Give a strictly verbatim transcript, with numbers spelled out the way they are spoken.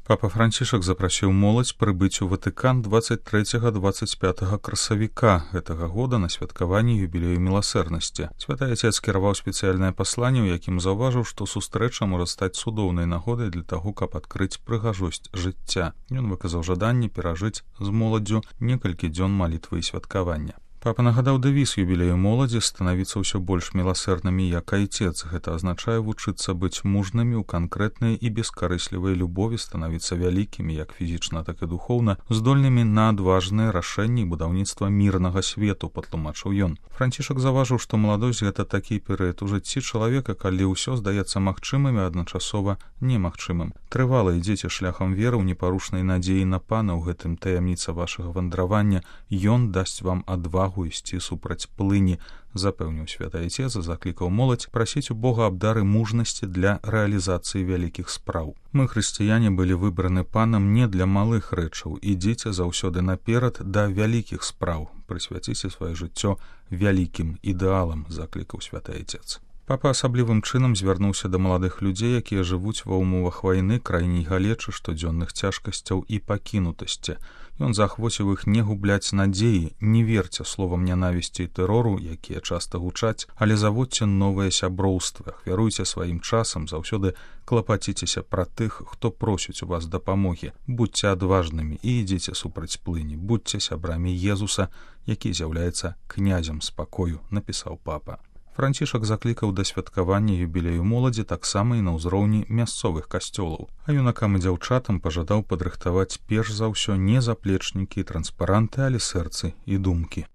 Папа Францішак запрасіў моладзь прыбыць у Ватыкан дваццаць трэцяга - дваццаць пятага красавіка гэтага года на святкаванне юбілею міласэрнасці. Святы Отец кіраваў спецыяльнае пасланне, у якім заўважыў, што сустрэча можа стаць цудоўнай нагодай для таго, каб адкрыць прыгажосць жыцця. Ён выказаў жаданне перажыць з моладдзю некалькі дзён малітвы і святкавання. Папа нагадаў дэвіз юбілею моладзі станавіцца ўсё больш міласэрнымі, як айцец. Гэта азначае вучыцца быць мужнымі ў канкрэтнай і бескарыслівай любові, станавіцца вялікімі, як фізічна, так і духоўна, здольнымі на адважныя рашэнні і будаўніцтва мірнага свету, патлумачыў ён. Францішак заўважыў, што маладосць гэта такі перыяд у жыцці чалавека, калі ўсё здаецца магчымым і адначасова немагчымым. Трывала ідзеце шляхам веры ў непарушнай надзеі на Пана, ў гэтым таямніца вашага вандравання. Ён дасць вам адвагу ісці супраць плыні, запэўніў святы Айцец, заклікаў моладзь прасіць у Бога аб дары мужнасці для рэалізацыі вялікіх спраў. Мы, хрысціяне, былі выбраны Панам не для малых рэчаў. Ідзіце заўсёды наперад да вялікіх спраў. Прысвяціце сваё жыццё вялікім ідэалам, заклікаў святы Айцец. Папа асаблівым чынам звярнуўся да маладых людзей, якія жывуць ва ўмовах вайны, крайняй галечы, штодзённых цяжкасцяў і пакінутасці. Ён заахвоціў іх не губляць надзеі, не верце словам нянавісці і тэрору, якія часта гучаць, але заводзьце новыя сяброўствы, ахвяруйце сваім часам, заўсёды клапаціцеся пра тых, хто просіць у вас дапамогі. Будьце адважнымі і ідзіце супраць плыні, будьце сябрамі Езуса, які з'яўляецца князем спакою, напісаў папа. Францішак заклікаў да святкавання юбілею моладзі таксама і на ўзроўні мясцовых касцёлаў, а юнакам і дзяўчатам пажадаў падрыхтаваць перш за ўсё не заплечнікі і транспаранты, але сэрцы і думкі.